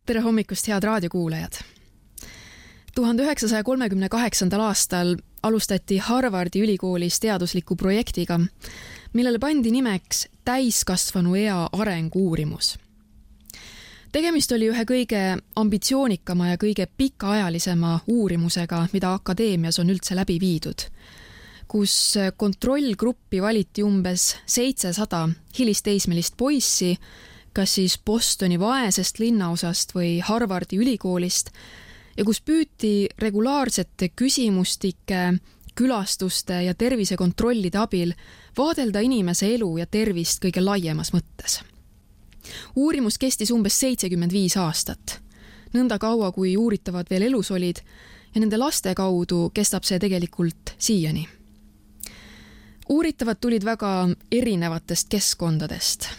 Tere hommikust, head raadiokuulajad! 1938. aastal alustati Harvardi ülikoolis teadusliku projektiga, millele pandi nimeks täiskasvanu ea arengu-uurimus. Tegemist oli ühe kõige ambitsioonikama ja kõige pikaajalisema uurimusega, mida akadeemias on üldse läbi viidud, kus kontrollgruppi valiti umbes 700 hilisteismelist poissi, kas siis Bostoni vaesest linnaosast või Harvardi ülikoolist, ja kus püüti regulaarsete küsimustike, külastuste ja tervisekontrollide abil vaadelda inimese elu ja tervist kõige laiemas mõttes. Uurimus kestis umbes 75 aastat, nõnda kaua kui uuritavad veel elus olid, ja nende laste kaudu kestab see tegelikult siiani. Uuritavad tulid väga erinevatest keskkondadest.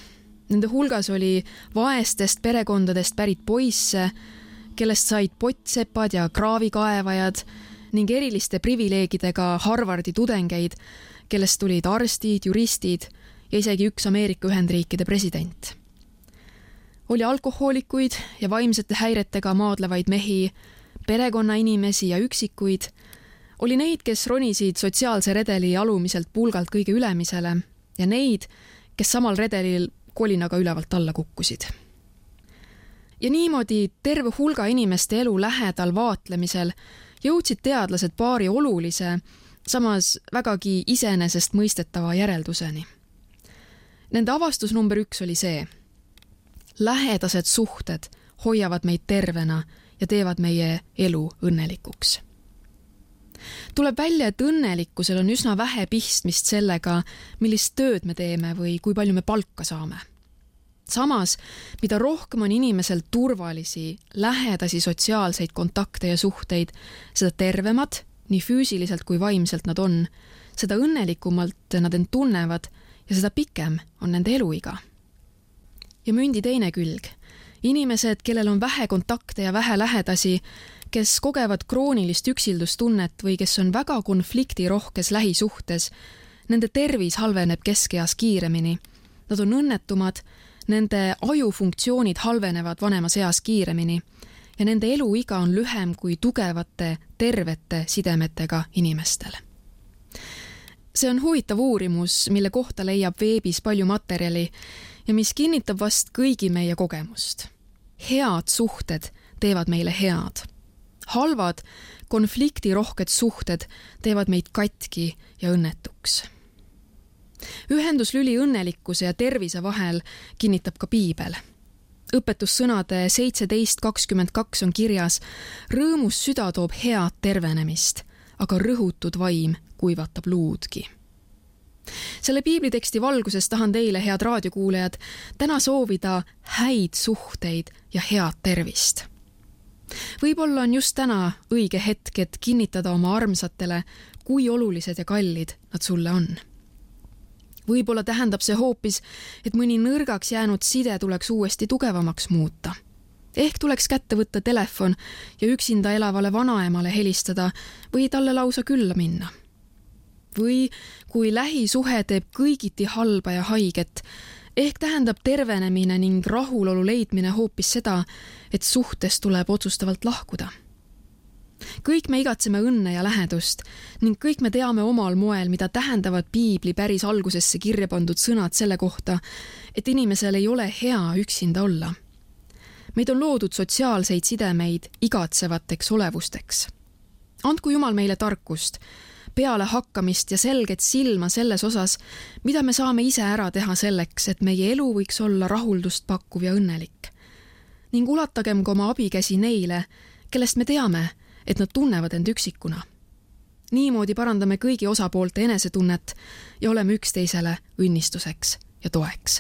Nende hulgas oli vaestest perekondadest pärit poisse, kellest said pottsepad ja kraavikaevajad ning eriliste privileegidega Harvardi tudengeid, kellest tulid arstid, juristid ja isegi üks Ameerika Ühendriikide president. Oli alkohoolikuid ja vaimsete häiretega maadlevaid mehi, perekonnainimesi ja üksikuid, oli neid, kes ronisid sotsiaalse redeli alumiselt pulgalt kõige ülemisele ja neid, kes samal redelil kolinaga ülevalt alla kukkusid. Ja niimoodi terve hulga inimeste elu lähedal vaatlemisel jõudsid teadlased paari olulise, samas vägagi iseenesest mõistetava järelduseni. Nende avastus number 1 oli see: lähedased suhted hoiavad meid tervena ja teevad meie elu õnnelikuks. Tuleb välja, et õnnelikkusel on üsna vähe pistmist sellega, millist tööd me teeme või kui palju me palka saame. Samas, mida rohkem on inimesel turvalisi, lähedasi sotsiaalseid kontakte ja suhteid, seda tervemad, nii füüsiliselt kui vaimselt nad on, seda õnnelikumalt nad end tunnevad ja seda pikem on nende eluiga. Ja mündi teine külg. Inimesed, kellel on vähe kontakte ja vähe lähedasi, kes kogevad kroonilist üksildustunnet või kes on väga konfliktirohkes lähisuhtes, nende tervis halveneb keskeas kiiremini. Nad on õnnetumad, nende ajufunktsioonid halvenevad vanemas eas kiiremini ja nende eluiga on lühem kui tugevate, tervete sidemetega inimestel. See on huvitav uurimus, mille kohta leiab veebis palju materjali ja mis kinnitab vast kõigi meie kogemust. Head suhted teevad meile head. Halvad, konfliktirohked suhted teevad meid katki ja õnnetuks. Ühenduslüli õnnelikkuse ja tervise vahel kinnitab ka Piibel. Õpetussõnade 17:22 on kirjas: rõõmus süda toob head tervenemist, aga rõhutud vaim kuivatab luudki. Selle piibliteksti valguses tahan teile, head raadiokuulajad, täna soovida häid suhteid ja head tervist. Võib-olla on just täna õige hetk, et kinnitada oma armsatele, kui olulised ja kallid nad sulle on. Võib-olla tähendab see hoopis, et mõni nõrgaks jäänud side tuleks uuesti tugevamaks muuta. Ehk tuleks kätte võtta telefon ja üksinda elavale vanaemale helistada või talle lausa külla minna. Või kui lähisuhe teeb kõigiti halba ja haiget, ehk tähendab tervenemine ning rahulolu leidmine hoopis seda, et suhtes tuleb otsustavalt lahkuda. Kõik me igatseme õnne ja lähedust ning kõik me teame omal moel, mida tähendavad Piibli päris algusesse kirja pandud sõnad selle kohta, et inimesel ei ole hea üksinda olla. Meid on loodud sotsiaalseid sidemeid igatsevateks olevusteks. Andku Jumal meile tarkust, peale hakkamist ja selget silma selles osas, mida me saame ise ära teha selleks, et meie elu võiks olla rahuldust pakkuv ja õnnelik. Ning ulatagem ka oma abikäsi neile, kellest me teame, et nad tunnevad end üksikuna. Niimoodi parandame kõigi osapoolte enesetunnet ja oleme üksteisele õnnistuseks ja toeks.